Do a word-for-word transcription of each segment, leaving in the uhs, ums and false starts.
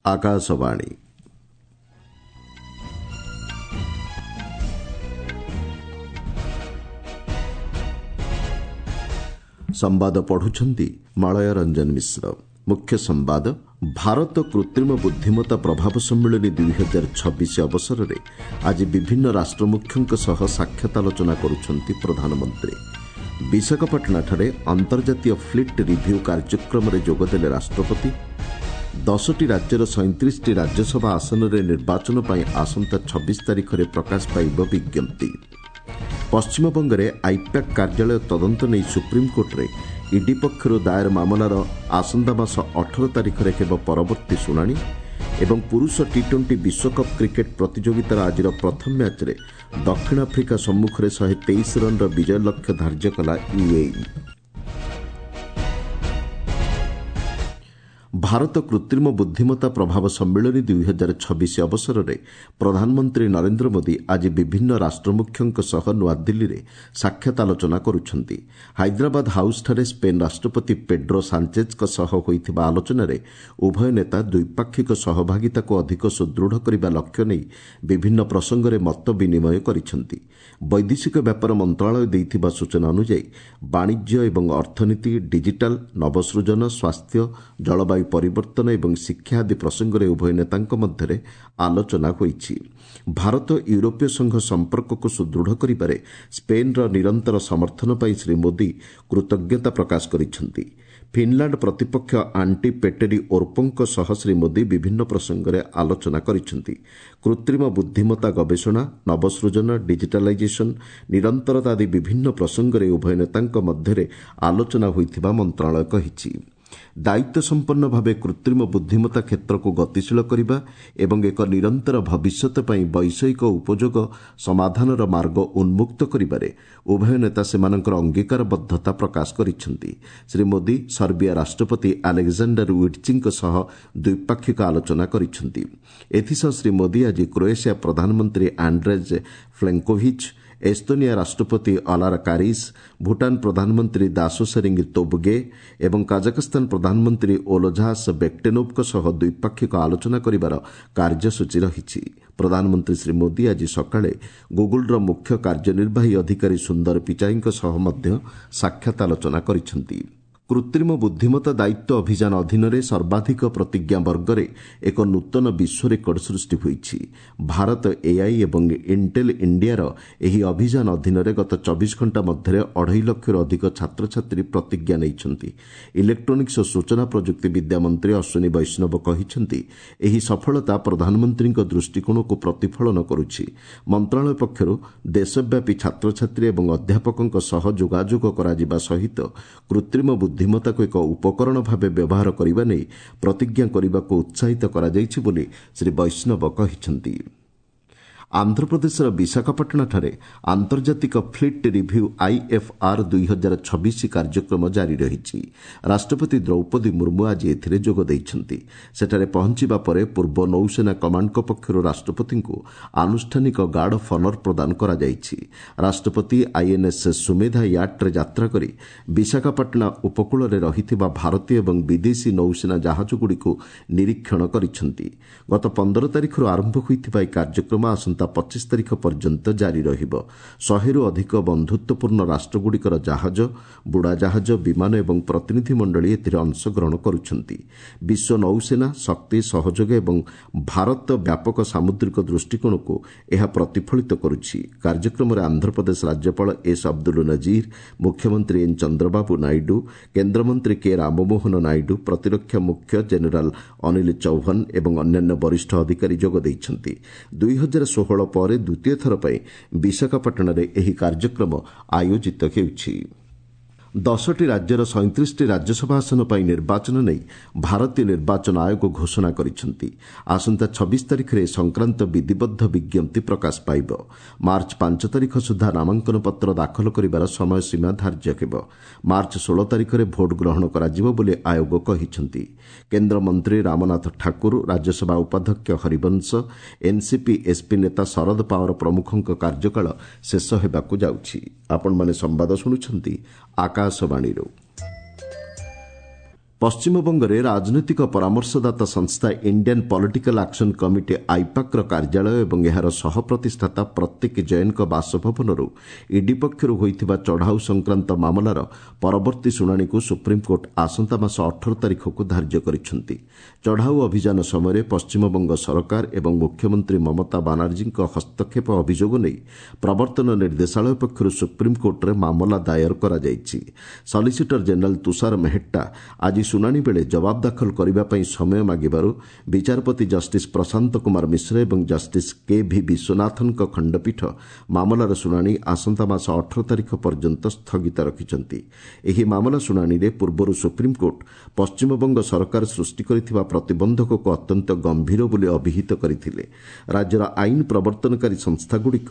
ଆକାଶବାଣୀ ସମ୍ବାଦ ପଢୁଛନ୍ତି ମଳୟ ରଞ୍ଜନ ମିଶ୍ର। ମୁଖ୍ୟ ସମ୍ବାଦ। ଭାରତ କୃତ୍ରିମ ବୁଦ୍ଧିମତ୍ତା ପ୍ରଭାବ ସମ୍ମିଳନୀ ଦୁଇ ହଜାର ଛବିଶ ଅବସରରେ ଆଜି ବିଭିନ୍ନ ରାଷ୍ଟ୍ରମୁଖ୍ୟଙ୍କ ସହ ସାକ୍ଷାତ ଆଲୋଚନା କରୁଛନ୍ତି ପ୍ରଧାନମନ୍ତ୍ରୀ। ବିଶାଖାପାଟଣାଠାରେ ଅନ୍ତର୍ଜାତୀୟ ଫ୍ଲିଟ୍ ରିଭ୍ୟୁ କାର୍ଯ୍ୟକ୍ରମରେ ଯୋଗଦେଲେ ରାଷ୍ଟ୍ରପତି। ଦଶଟି ରାଜ୍ୟର ସଇଁତିରିଶଟି ରାଜ୍ୟସଭା ଆସନରେ ନିର୍ବାଚନ ପାଇଁ ଆସନ୍ତା ଛବିଶ ତାରିଖରେ ପ୍ରକାଶ ପାଇବ ବିଜ୍ଞପ୍ତି। ପଶ୍ଚିମବଙ୍ଗରେ ଆଇପ୍ୟାକ୍ କାର୍ଯ୍ୟାଳୟ ତଦନ୍ତ ନେଇ ସୁପ୍ରିମକୋର୍ଟରେ ଇଡି ପକ୍ଷରୁ ଦାଏର ମାମଲାର ଆସନ୍ତା ମାସ ଅଠର ତାରିଖରେ ହେବ ପରବର୍ତ୍ତୀ ଶୁଣାଣି। ଏବଂ ପୁରୁଷ ଟି ଟ୍ୱେଣ୍ଟି ବିଶ୍ୱକପ୍ କ୍ରିକେଟ୍ ପ୍ରତିଯୋଗିତାର ଆଜିର ପ୍ରଥମ ମ୍ୟାଚ୍ରେ ଦକ୍ଷିଣ ଆଫ୍ରିକା ସମ୍ମୁଖରେ ଶହେ ତେଇଶ ରନ୍ର ବିଜୟ ଲକ୍ଷ୍ୟ ଧାର୍ଯ୍ୟ କଲା ୟୁଏଇ। ଭାରତ କୃତ୍ରିମ ବୁଦ୍ଧିମତ୍ତା ପ୍ରଭାବ ସମ୍ମିଳନୀ ଦୁଇ ହଜାର ଛବିଶ ଅବସରରେ ପ୍ରଧାନମନ୍ତ୍ରୀ ନରେନ୍ଦ୍ର ମୋଦି ଆଜି ବିଭିନ୍ନ ରାଷ୍ଟ୍ରମୁଖ୍ୟଙ୍କ ସହ ନୂଆଦିଲ୍ଲୀରେ ସାକ୍ଷାତ ଆଲୋଚନା କରୁଛନ୍ତି। ହାଇଦ୍ରାବାଦ ହାଉସ୍ଠାରେ ସ୍ପେନ୍ ରାଷ୍ଟ୍ରପତି ପେଡ୍ରୋ ସାଞ୍ଚେଜ୍ଙ୍କ ସହ ହୋଇଥିବା ଆଲୋଚନାରେ ଉଭୟ ନେତା ଦ୍ୱିପାକ୍ଷିକ ସହଭାଗିତାକୁ ଅଧିକ ସୁଦୃଢ଼ କରିବା ଲକ୍ଷ୍ୟ ନେଇ ବିଭିନ୍ନ ପ୍ରସଙ୍ଗରେ ମତ ବିନିମୟ କରିଛନ୍ତି। ବୈଦେଶିକ ବ୍ୟାପାର ମନ୍ତ୍ରଣାଳୟ ଦେଇଥିବା ସୂଚନା ଅନୁଯାୟୀ ବାଣିଜ୍ୟ ଏବଂ ଅର୍ଥନୀତି, ଡିଜିଟାଲ, ନବସୃଜନ, ସ୍ୱାସ୍ଥ୍ୟ, ଜଳବାୟୁ ପରିବର୍ତ୍ତନ ଏବଂ ଶିକ୍ଷା ଆଦି ପ୍ରସଙ୍ଗରେ ଉଭୟ ନେତାଙ୍କ ମଧ୍ୟରେ ଆଲୋଚନା ହୋଇଛି। ଭାରତ ୟୁରୋପୀୟ ସଂଘ ସମ୍ପର୍କକୁ ସୁଦୃଢ଼ କରିବାରେ ସ୍ପେନ୍ର ନିରନ୍ତର ସମର୍ଥନ ପାଇଁ ଶ୍ରୀ ମୋଦି କୃତଜ୍ଞତା ପ୍ରକାଶ କରିଛନ୍ତି। ଫିନ୍ଲାଣ୍ଡ ପ୍ରତିପକ୍ଷ ଆଣ୍ଟି ପେଟେରି ଓର୍ପୋଙ୍କ ସହ ଶ୍ରୀ ମୋଦି ବିଭିନ୍ନ ପ୍ରସଙ୍ଗରେ ଆଲୋଚନା କରିଛନ୍ତି। କୃତ୍ରିମ ବୁଦ୍ଧିମତ୍ତା ଗବେଷଣା, ନବସୃଜନ, ଡିଜିଟାଲାଇଜେସନ୍, ନିରନ୍ତରତା ଆଦି ବିଭିନ୍ନ ପ୍ରସଙ୍ଗରେ ଉଭୟ ନେତାଙ୍କ ମଧ୍ୟରେ ଆଲୋଚନା ହୋଇଥିବା ମନ୍ତ୍ରଣାଳୟ କହିଛି। ଦାୟିତ୍ୱ ସମ୍ପନ୍ନ ଭାବେ କୃତ୍ରିମ ବୁଦ୍ଧିମତ୍ତା କ୍ଷେତ୍ରକୁ ଗତିଶୀଳ କରିବା ଏବଂ ଏକ ନିରନ୍ତର ଭବିଷ୍ୟତ ପାଇଁ ବୈଷୟିକ ଉପଯୋଗ ସମାଧାନର ମାର୍ଗ ଉନ୍ମୁକ୍ତ କରିବାରେ ଉଭୟ ନେତା ସେମାନଙ୍କର ଅଙ୍ଗୀକାରବଦ୍ଧତା ପ୍ରକାଶ କରିଛନ୍ତି। ଶ୍ରୀ ମୋଦି ସର୍ବିଆ ରାଷ୍ଟ୍ରପତି ଆଲେକ୍ଜାଣ୍ଡାର ୱିଟ୍ଚିଙ୍କ ସହ ଦ୍ୱିପାକ୍ଷିକ ଆଲୋଚନା କରିଛନ୍ତି। ଏଥିସହ ଶ୍ରୀ ମୋଦି ଆଜି କ୍ରୋଏସିଆ ପ୍ରଧାନମନ୍ତ୍ରୀ ଆଣ୍ଡ୍ରେଜ୍ ପ୍ଲେଙ୍କୋଭିଚ୍, ଏସ୍ତୋନିଆ ରାଷ୍ଟ୍ରପତି ଅଲାର କାରିସ୍, ଭୁଟାନ ପ୍ରଧାନମନ୍ତ୍ରୀ ଦାସୋ ସେରିଙ୍ଗ ତୋବଗେ ଏବଂ କାଜାଖସ୍ତାନ ପ୍ରଧାନମନ୍ତ୍ରୀ ଓଲଝାସ୍ ବେକ୍ଟେନୋଭ୍ଙ୍କ ସହ ଦ୍ୱିପାକ୍ଷିକ ଆଲୋଚନା କରିବାର କାର୍ଯ୍ୟସୂଚୀ ରହିଛି। ପ୍ରଧାନମନ୍ତ୍ରୀ ଶ୍ରୀ ମୋଦି ଆଜି ସକାଳେ ଗୁଗୁଲ୍ର ମୁଖ୍ୟ କାର୍ଯ୍ୟନିର୍ବାହୀ ଅଧିକାରୀ ସୁନ୍ଦର ପିଚାଇଙ୍କ ସହ ମଧ୍ୟ ସାକ୍ଷାତ ଆଲୋଚନା କରିଛନ୍ତି। କୃତ୍ରିମ ବୁଦ୍ଧିମତ୍ତା ଦାୟିତ୍ୱ ଅଭିଯାନ ଅଧୀନରେ ସର୍ବାଧିକ ପ୍ରତିଜ୍ଞା ବର୍ଗରେ ଏକ ନୂତନ ବିଶ୍ୱ ରେକର୍ଡ ସୃଷ୍ଟି ହୋଇଛି। ଭାରତ ଏଆଇ ଏବଂ ଇଣ୍ଟେଲ୍ ଇଣ୍ଡିଆର ଏହି ଅଭିଯାନ ଅଧୀନରେ ଗତ ଚବିଶ ଘଣ୍ଟା ମଧ୍ୟରେ ଅଢ଼େଇ ଲକ୍ଷରୁ ଅଧିକ ଛାତ୍ରଛାତ୍ରୀ ପ୍ରତିଜ୍ଞା ନେଇଛନ୍ତି। ଇଲେକ୍ଟ୍ରୋନିକ୍ସ ଓ ସୂଚନା ପ୍ରଯୁକ୍ତି ବିଦ୍ୟା ମନ୍ତ୍ରୀ ଅଶ୍ୱିନୀ ବୈଷ୍ଣବ କହିଛନ୍ତି, ଏହି ସଫଳତା ପ୍ରଧାନମନ୍ତ୍ରୀଙ୍କ ଦୃଷ୍ଟିକୋଣକୁ ପ୍ରତିଫଳନ କରୁଛି। ମନ୍ତ୍ରଣାଳୟ ପକ୍ଷରୁ ଦେଶବ୍ୟାପୀ ଛାତ୍ରଛାତ୍ରୀ ଏବଂ ଅଧ୍ୟାପକଙ୍କ ସହ ଯୋଗାଯୋଗ କରାଯିବା ସହିତ କୃତ୍ରିମ ବୁଦ୍ଧିମତ୍ତାକୁ ଏକ ଉପକରଣ ଭାବେ ବ୍ୟବହାର କରିବା ନେଇ ପ୍ରତିଜ୍ଞା କରିବାକୁ ଉତ୍ସାହିତ କରାଯାଇଛି ବୋଲି ଶ୍ରୀ ବୈଷ୍ଣବ କହିଛନ୍ତି। ଆନ୍ଧ୍ରପ୍ରଦେଶର ବିଶାଖାପାଟଣାଠାରେ ଆନ୍ତର୍ଜାତିକ ଫ୍ଲିଟ୍ ରିଭ୍ୟୁ ଆଇଏଫ୍ଆର୍ ଦୁଇ ହଜାର ଛବିଶ କାର୍ଯ୍ୟକ୍ରମ ଜାରି ରହିଛି। ରାଷ୍ଟ୍ରପତି ଦ୍ରୌପଦୀ ମୁର୍ମୁ ଆଜି ଏଥିରେ ଯୋଗ ଦେଇଛନ୍ତି। ସେଠାରେ ପହଞ୍ଚିବା ପରେ ପୂର୍ବ ନୌସେନା କମାଣ୍ଡଙ୍କ ପକ୍ଷରୁ ରାଷ୍ଟ୍ରପତିଙ୍କୁ ଆନୁଷ୍ଠାନିକ ଗାର୍ଡ ଅଫ୍ ଅନର୍ ପ୍ରଦାନ କରାଯାଇଛି। ରାଷ୍ଟ୍ରପତି ଆଇଏନ୍ଏସ୍ ସୁମେଧା ୟାଟ୍ରେ ଯାତ୍ରା କରି ବିଶାଖାପାଟଣା ଉପକୂଳରେ ରହିଥିବା ଭାରତୀୟ ଏବଂ ବିଦେଶୀ ନୌସେନା ଜାହାଜଗୁଡ଼ିକୁ ନିରୀକ୍ଷଣ କରିଛନ୍ତି। ଗତ ପନ୍ଦର ତାରିଖରୁ ଆରମ୍ଭ ହୋଇଥିବା ଏହି କାର୍ଯ୍ୟକ୍ରମ ଆସନ୍ତା ପଚିଶ ତାରିଖ ପର୍ଯ୍ୟନ୍ତ ଜାରି ରହିବ। ଶହେରୁ ଅଧିକ ବନ୍ଧୁତ୍ୱପୂର୍ଣ୍ଣ ରାଷ୍ଟ୍ରଗୁଡ଼ିକର ଜାହାଜ, ବୁଡ଼ାଜାହାଜ, ବିମାନ ଏବଂ ପ୍ରତିନିଧି ମଣ୍ଡଳୀ ଏଥିରେ ଅଂଶଗ୍ରହଣ କରୁଛନ୍ତି। ବିଶ୍ୱ ନୌସେନା, ଶକ୍ତି ସହଯୋଗ ଏବଂ ଭାରତ ବ୍ୟାପକ ସାମୁଦ୍ରିକ ଦୃଷ୍ଟିକୋଣକୁ ଏହା ପ୍ରତିଫଳିତ କରୁଛି। କାର୍ଯ୍ୟକ୍ରମରେ ଆନ୍ଧ୍ରପ୍ରଦେଶ ରାଜ୍ୟପାଳ ଏସ୍ ଅବଦୁଲ ନଜିର, ମୁଖ୍ୟମନ୍ତ୍ରୀ ଏନ୍ ଚନ୍ଦ୍ରବାବୁ ନାଇଡୁ, କେନ୍ଦ୍ରମନ୍ତ୍ରୀ କେ ରାମମୋହନ ନାଇଡୁ, ପ୍ରତିରକ୍ଷା ମୁଖ୍ୟ ଜେନେରାଲ ଅନିଲ ଚୌହାନ ଏବଂ ଅନ୍ୟାନ୍ୟ ବରିଷ୍ଠ ଅଧିକାରୀ ଯୋଗ ଦେଇଛନ୍ତି। ଦୁଇ ହଜାର ଷୋହଳ ପରେ ଦ୍ୱିତୀୟ ଥର ପାଇଁ ବିଶାଖାପାଟଣାରେ ଏହି କାର୍ଯ୍ୟକ୍ରମ ଆୟୋଜିତ ହେଉଛି। ଦଶଟି ରାଜ୍ୟର ସଇଁତିରିଶଟି ରାଜ୍ୟସଭା ଆସନ ପାଇଁ ନିର୍ବାଚନ ନେଇ ଭାରତୀୟ ନିର୍ବାଚନ ଆୟୋଗ ଘୋଷଣା କରିଛନ୍ତି। ଆସନ୍ତା ଛବିଶ ତାରିଖରେ ଏ ସଂକ୍ରାନ୍ତ ବିଧିବଦ୍ଧ ବିଜ୍ଞପ୍ତି ପ୍ରକାଶ ପାଇବ। ମାର୍ଚ୍ଚ ପାଞ୍ଚ ତାରିଖ ସୁଦ୍ଧା ନାମାଙ୍କନପତ୍ର ଦାଖଲ କରିବାର ସମୟସୀମା ଧାର୍ଯ୍ୟ ହେବ। ମାର୍ଚ୍ଚ ଷୋହଳ ତାରିଖରେ ଭୋଟ ଗ୍ରହଣ କରାଯିବ ବୋଲି ଆୟୋଗ କହିଛନ୍ତି। କେନ୍ଦ୍ରମନ୍ତ୍ରୀ ରାମନାଥ ଠାକୁର, ରାଜ୍ୟସଭା ଉପାଧ୍ୟକ୍ଷ ହରିବଂଶ, ଏନ୍ସିପି ଏସ୍ପି ନେତା ଶରଦ ପାୱାର ପ୍ରମୁଖଙ୍କ କାର୍ଯ୍ୟକାଳ ଶେଷ ହେବାକୁ ଯାଉଛି। ଆପଣମାନେ ସମ୍ବାଦ ଶୁଣୁଛନ୍ତି ଆକାଶବାଣୀରୁ। ପଶ୍ଚିମବଙ୍ଗରେ ରାଜନୈତିକ ପରାମର୍ଶଦାତା ସଂସ୍ଥା ଇଣ୍ଡିଆନ୍ ପଲିଟିକାଲ୍ ଆକ୍ସନ୍ କମିଟି ଆଇପାକ୍ର କାର୍ଯ୍ୟାଳୟ ଏବଂ ଏହାର ସହପ୍ରତିଷ୍ଠାତା ପ୍ରତୀକ ଜୈନଙ୍କ ବାସଭବନରୁ ଇଡି ପକ୍ଷରୁ ହୋଇଥିବା ଚଢ଼ାଉ ସଂକ୍ରାନ୍ତ ମାମଲାର ପରବର୍ତ୍ତୀ ଶୁଣାଣିକୁ ସୁପ୍ରିମକୋର୍ଟ ଆସନ୍ତା ମାସ ଅଠର ତାରିଖକୁ ଧାର୍ଯ୍ୟ କରିଛନ୍ତି। ଚଢ଼ାଉ ଅଭିଯାନ ସମୟରେ ପଶ୍ଚିମବଙ୍ଗ ସରକାର ଏବଂ ମୁଖ୍ୟମନ୍ତ୍ରୀ ମମତା ବାନାର୍ଜୀଙ୍କ ହସ୍ତକ୍ଷେପ ଅଭିଯୋଗ ନେଇ ପ୍ରବର୍ତ୍ତନ ନିର୍ଦ୍ଦେଶାଳୟ ପକ୍ଷରୁ ସୁପ୍ରିମକୋର୍ଟରେ ମାମଲା ଦାୟର କରାଯାଇଛି। ସଲିସିଟର ଜେନେରାଲ ତୁଷାର ମେହେଟ୍ଟା ଆଜି ଶୁଣାଣି ବେଳେ ଜବାବ ଦାଖଲ କରିବା ପାଇଁ ସମୟ ମାଗିବାରୁ ବିଚାରପତି ଜଷ୍ଟିସ୍ ପ୍ରଶାନ୍ତ କୁମାର ମିଶ୍ର ଏବଂ ଜଷ୍ଟିସ୍ କେ ଭି ବିଶ୍ୱନାଥନଙ୍କ ଖଣ୍ଡପୀଠ ମାମଲାର ଶୁଣାଣି ଆସନ୍ତା ମାସ ଅଠର ତାରିଖ ପର୍ଯ୍ୟନ୍ତ ସ୍ଥଗିତ ରଖିଛନ୍ତି। ଏହି ମାମଲା ଶୁଣାଣିରେ ପୂର୍ବରୁ ସୁପ୍ରିମକୋର୍ଟ ପଶ୍ଚିମବଙ୍ଗ ସରକାର ସୃଷ୍ଟି କରିଥିବା ପ୍ରତିବନ୍ଧକକୁ ଅତ୍ୟନ୍ତ ଗମ୍ଭୀର ବୋଲି ଅଭିହିତ କରିଥିଲେ। ରାଜ୍ୟର ଆଇନ ପ୍ରବର୍ତ୍ତନକାରୀ ସଂସ୍ଥାଗୁଡ଼ିକ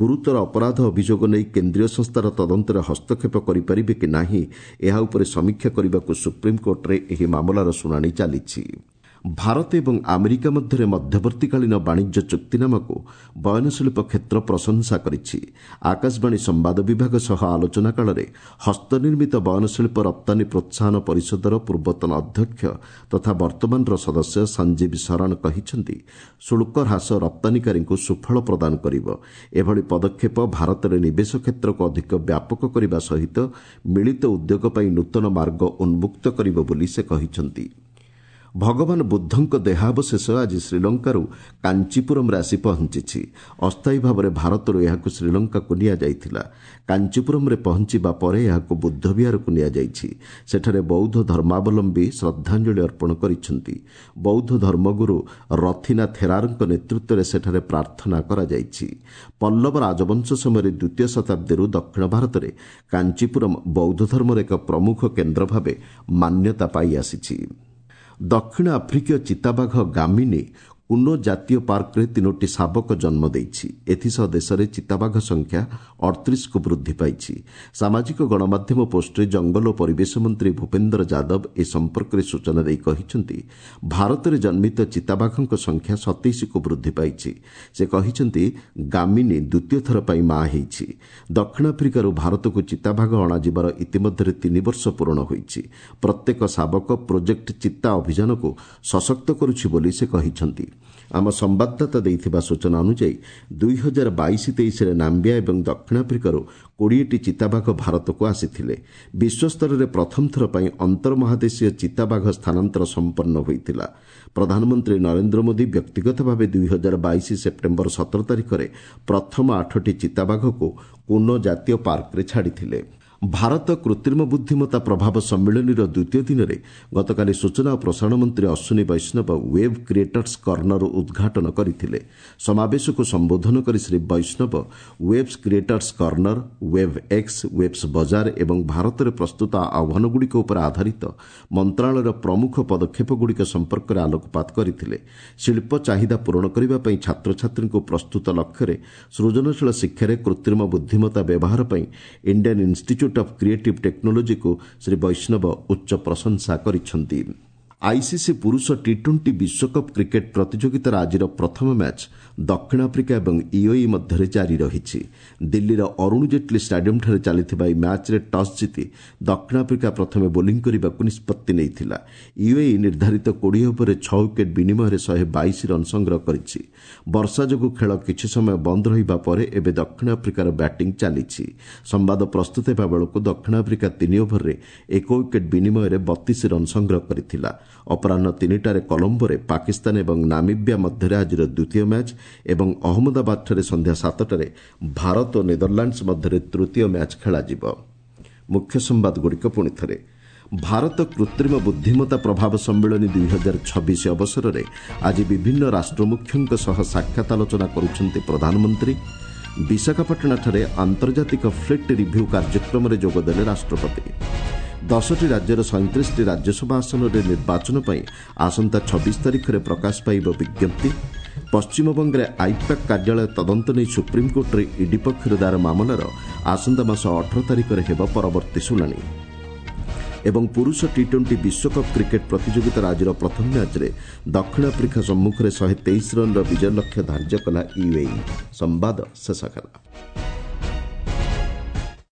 ଗୁରୁତର ଅପରାଧ ଅଭିଯୋଗ ନେଇ କେନ୍ଦ୍ରୀୟ ସଂସ୍ଥାର ତଦନ୍ତରେ ହସ୍ତକ୍ଷେପ କରିପାରିବେ କି ନାହିଁ, ଏହା ଉପରେ ସମୀକ୍ଷା କରିବାକୁ ସୁପ୍ରିମକୋର୍ଟ କୋର୍ଟରେ ଏହି ମାମଲାର ଶୁଣାଣି ଚାଲିଛି। ଭାରତ ଏବଂ ଆମେରିକା ମଧ୍ୟରେ ମଧ୍ୟବର୍ତ୍ତୀକାଳୀନ ବାଣିଜ୍ୟ ଚୁକ୍ତିନାମାକୁ ବୟନଶିଳ୍ପ କ୍ଷେତ୍ର ପ୍ରଶଂସା କରିଛି। ଆକାଶବାଣୀ ସମ୍ବାଦ ବିଭାଗ ସହ ଆଲୋଚନା କାଳରେ ହସ୍ତନିର୍ମିତ ବୟନଶିଳ୍ପ ରପ୍ତାନୀ ପ୍ରୋତ୍ସାହନ ପରିଷଦର ପୂର୍ବତନ ଅଧ୍ୟକ୍ଷ ତଥା ବର୍ତ୍ତମାନର ସଦସ୍ୟ ସଞ୍ଜୀବ ଶରଣ କହିଛନ୍ତି, ଶୁଳ୍କ ହ୍ରାସ ରପ୍ତାନୀକାରୀଙ୍କୁ ସୁଫଳ ପ୍ରଦାନ କରିବ। ଏଭଳି ପଦକ୍ଷେପ ଭାରତରେ ନିବେଶ କ୍ଷେତ୍ରକୁ ଅଧିକ ବ୍ୟାପକ କରିବା ସହିତ ମିଳିତ ଉଦ୍ୟୋଗ ପାଇଁ ନୂତନ ମାର୍ଗ ଉନ୍ମୁକ୍ତ କରିବ ବୋଲି ସେ କହିଛନ୍ତି। ଭଗବାନ ବୁଦ୍ଧଙ୍କ ଦେହାବଶେଷ ଆଜି ଶ୍ରୀଲଙ୍କାରୁ କାଞ୍ଚିପୁରମରେ ଆସି ପହଞ୍ଚିଛି। ଅସ୍ଥାୟୀ ଭାବରେ ଭାରତରୁ ଏହାକୁ ଶ୍ରୀଲଙ୍କାକୁ ନିଆଯାଇଥିଲା। କାଞ୍ଚିପୁରମରେ ପହଞ୍ଚିବା ପରେ ଏହାକୁ ବୁଦ୍ଧବିହାରକୁ ନିଆଯାଇଛି। ସେଠାରେ ବୌଦ୍ଧ ଧର୍ମାବଲମ୍ବୀ ଶ୍ରଦ୍ଧାଞ୍ଜଳି ଅର୍ପଣ କରିଛନ୍ତି। ବୌଦ୍ଧ ଧର୍ମଗୁରୁ ରଥିନା ଥେରାରଙ୍କ ନେତୃତ୍ୱରେ ସେଠାରେ ପ୍ରାର୍ଥନା କରାଯାଇଛି। ପଲ୍ଲବ ରାଜବଂଶ ସମୟରେ ଦ୍ୱିତୀୟ ଶତାବ୍ଦୀରୁ ଦକ୍ଷିଣ ଭାରତରେ କାଞ୍ଚିପୁରମ ବୌଦ୍ଧ ଧର୍ମର ଏକ ପ୍ରମୁଖ କେନ୍ଦ୍ର ଭାବେ ମାନ୍ୟତା ପାଇ ଆସିଛି। ଦକ୍ଷିଣ ଆଫ୍ରିକୀୟ ଚିତାବାଘ ଗାମିନୀ କୁନୋ ଜାତୀୟ ପାର୍କରେ ତିନୋଟି ଶାବକ ଜନ୍ମ ଦେଇଛି। ଏଥିସହ ଦେଶରେ ଚିତାବାଘ ସଂଖ୍ୟା ଅଠତିରିଶକୁ ବୃଦ୍ଧି ପାଇଛି। ସାମାଜିକ ଗଣମାଧ୍ୟମ ପୋଷ୍ଟରେ ଜଙ୍ଗଲ ଓ ପରିବେଶ ମନ୍ତ୍ରୀ ଭୂପେନ୍ଦ୍ର ଯାଦବ ଏ ସମ୍ପର୍କରେ ସୂଚନା ଦେଇ କହିଛନ୍ତି, ଭାରତରେ ଜନ୍ମିତ ଚିତାବାଘଙ୍କ ସଂଖ୍ୟା ସତେଇଶକୁ ବୃଦ୍ଧି ପାଇଛି। ସେ କହିଛନ୍ତି, ଗାମିନୀ ଦ୍ୱିତୀୟ ଥର ପାଇଁ ମା ହେଇଛି। ଦକ୍ଷିଣ ଆଫ୍ରିକାରୁ ଭାରତକୁ ଚିତାବାଘ ଅଣାଯିବାର ଇତିମଧ୍ୟରେ ତିନି ବର୍ଷ ପୂରଣ ହୋଇଛି। ପ୍ରତ୍ୟେକ ଶାବକ ପ୍ରୋଜେକ୍ଟ ଚିତା ଅଭିଯାନକୁ ସଶକ୍ତ କରୁଛି ବୋଲି ସେ କହିଛନ୍ତି। ଆମ ସମ୍ବାଦଦାତା ଦେଇଥିବା ସୂଚନା ଅନୁଯାୟୀ ଦୁଇ ହଜାର ବାଇଶ ତେଇଶରେ ନାମ୍ବିଆ ଏବଂ ଦକ୍ଷିଣ ଆଫ୍ରିକାରୁ କୋଡ଼ିଏଟି ଚିତାବାଘ ଭାରତକୁ ଆସିଥିଲେ। ବିଶ୍ୱସ୍ତରରେ ପ୍ରଥମ ଥର ପାଇଁ ଅନ୍ତର୍ମହାଦେଶୀୟ ଚିତାବାଘ ସ୍ଥାନାନ୍ତର ସମ୍ପନ୍ନ ହୋଇଥିଲା। ପ୍ରଧାନମନ୍ତ୍ରୀ ନରେନ୍ଦ୍ର ମୋଦି ବ୍ୟକ୍ତିଗତ ଭାବେ ଦୁଇ ହଜାର ବାଇଶ ସେପ୍ଟେମ୍ବର ସତର ତାରିଖରେ ପ୍ରଥମ ଆଠଟି ଚିତାବାଘକୁ କୁନୋ ଜାତୀୟ ପାର୍କରେ ଛାଡ଼ିଥିଲେ। ଭାରତ କୃତ୍ରିମ ବୁଦ୍ଧିମତ୍ତା ପ୍ରଭାବ ସମ୍ମିଳନୀର ଦ୍ୱିତୀୟ ଦିନରେ ଗତକାଲି ସୂଚନା ଓ ପ୍ରସାରଣ ମନ୍ତ୍ରୀ Ashwini Vaishnaw web creators corner ଉଦ୍ଘାଟନ କରିଥିଲେ। ସମାବେଶକୁ ସମ୍ବୋଧନ କରି Shri Vaishnaw Waves Creators Corner, Web X, Waves ବଜାର ଏବଂ ଭାରତରେ ପ୍ରସ୍ତୁତ ଆହ୍ୱାନଗୁଡ଼ିକ ଉପରେ ଆଧାରିତ ମନ୍ତ୍ରଣାଳୟର ପ୍ରମୁଖ ପଦକ୍ଷେପଗୁଡ଼ିକ ସମ୍ପର୍କରେ ଆଲୋକପାତ କରିଥିଲେ। ଶିଳ୍ପ ଚାହିଦା ପୂରଣ କରିବା ପାଇଁ ଛାତ୍ରଛାତ୍ରୀଙ୍କୁ ପ୍ରସ୍ତୁତ ଲକ୍ଷ୍ୟରେ ସୃଜନଶୀଳ ଶିକ୍ଷାରେ କୃତ୍ରିମ ବୁଦ୍ଧିମତ୍ତା ବ୍ୟବହାର ପାଇଁ ଇଣ୍ଡିଆନ୍ ଇନ୍ଷ୍ଟିଚ୍ୟୁଟ୍ ଅଫ୍ କ୍ରିଏଟିଭ୍ ଟେକ୍ନୋଲୋଜିକୁ ଶ୍ରୀ ବୈଷ୍ଣବ ଉଚ୍ଚ ପ୍ରଶଂସା କରିଛନ୍ତି। ଆଇସିସି ପୁରୁଷ ଟି ଟ୍ୱେଣ୍ଟି ବିଶ୍ୱକପ୍ କ୍ରିକେଟ୍ ପ୍ରତିଯୋଗିତାର ଆଜିର ପ୍ରଥମ ମ୍ୟାଚ୍ ଦକ୍ଷିଣ ଆଫ୍ରିକା ଏବଂ ୟୁଏଇ ମଧ୍ୟରେ ଜାରି ରହିଛି। ଦିଲ୍ଲୀର ଅରୁଣ ଜେଟ୍ଲୀ ଷ୍ଟାଡିୟମ୍ଠାରେ ଚାଲିଥିବା ଏହି ମ୍ୟାଚ୍ରେ ଟସ୍ ଜିତି ଦକ୍ଷିଣ ଆଫ୍ରିକା ପ୍ରଥମେ ବୋଲିଂ କରିବାକୁ ନିଷ୍ପତ୍ତି ନେଇଥିଲା। ୟୁଏଇ ନିର୍ଦ୍ଧାରିତ କୋଡ଼ିଏ ଓଭରରେ ଛଅ ୱିକେଟ୍ ବିନିମୟରେ ଶହେ ବାଇଶ ରନ୍ ସଂଗ୍ରହ କରିଛି। ବର୍ଷା ଯୋଗୁଁ ଖେଳ କିଛି ସମୟ ବନ୍ଦ ରହିବା ପରେ ଏବେ ଦକ୍ଷିଣ ଆଫ୍ରିକାର ବ୍ୟାଟିଂ ଚାଲିଛି। ସମ୍ବାଦ ପ୍ରସ୍ତୁତ ହେବା ବେଳକୁ ଦକ୍ଷିଣ ଆଫ୍ରିକା ତିନି ଓଭରରେ ଏକ ୱିକେଟ୍ ବିନିମୟରେ ବତିଶ ରନ୍ ସଂଗ୍ରହ କରିଥିଲା। ଅପରାହ୍ନ ତିନିଟାରେ କଲମ୍ବୋରେ ପାକିସ୍ତାନ ଏବଂ ନାମିବିଆ ମଧ୍ୟରେ ଆଜିର ଦ୍ୱିତୀୟ ମ୍ୟାଚ୍ ଏବଂ ଅହମ୍ମଦାବାଦଠାରେ ସନ୍ଧ୍ୟା ସାତଟାରେ ଭାରତ ଓ ନେଦରଲାଣ୍ଡସ୍ ମଧ୍ୟରେ ତୃତୀୟ ମ୍ୟାଚ୍ ଖେଳାଯିବ। ମୁଖ୍ୟ ସମ୍ବାଦଗୁଡ଼ିକ ପୁଣି ଥରେ। ଭାରତ କୃତ୍ରିମ ବୁଦ୍ଧିମତ୍ତା ପ୍ରଭାବ ସମ୍ମିଳନୀ ଦୁଇ ହଜାର ଛବିଶ ଅବସରରେ ଆଜି ବିଭିନ୍ନ ରାଷ୍ଟ୍ରମୁଖ୍ୟଙ୍କ ସହ ସାକ୍ଷାତ ଆଲୋଚନା କରୁଛନ୍ତି ପ୍ରଧାନମନ୍ତ୍ରୀ। ବିଶାଖାପାଟଣାଠାରେ ଆନ୍ତର୍ଜାତିକ ଫ୍ଲିଟ୍ ରିଭ୍ୟୁ କାର୍ଯ୍ୟକ୍ରମରେ ଯୋଗଦେଲେ ରାଷ୍ଟ୍ରପତି। ଦଶଟି ରାଜ୍ୟର ସଇଁତିରିଶଟି ରାଜ୍ୟସଭା ଆସନରେ ନିର୍ବାଚନ ପାଇଁ ଆସନ୍ତା ଛବିଶ ତାରିଖରେ ପ୍ରକାଶ ପାଇବ ବିଜ୍ଞପ୍ତି। ପଶ୍ଚିମବଙ୍ଗରେ ଆଇପ୍ୟାକ୍ କାର୍ଯ୍ୟାଳୟ ତଦନ୍ତ ନେଇ ସୁପ୍ରିମକୋର୍ଟରେ ଇଡି ପକ୍ଷରୁ ଦାୟର ମାମଲାର ଆସନ୍ତା ମାସ ଅଠର ତାରିଖରେ ହେବ ପରବର୍ତ୍ତୀ ଶୁଣାଣି। ଏବଂ ପୁରୁଷ ଟି ଟ୍ୱେଣ୍ଟି ବିଶ୍ୱକପ୍ କ୍ରିକେଟ୍ ପ୍ରତିଯୋଗିତାର ଆଜିର ପ୍ରଥମ ମ୍ୟାଚ୍ରେ ଦକ୍ଷିଣ ଆଫ୍ରିକା ସମ୍ମୁଖରେ ଶହେ ତେଇଶ ରନ୍ର ବିଜୟ ଲକ୍ଷ୍ୟ ଧାର୍ଯ୍ୟ କଲା ୟୁଏଇ। ସମ୍ବାଦ ଶେଷ ହେଲା।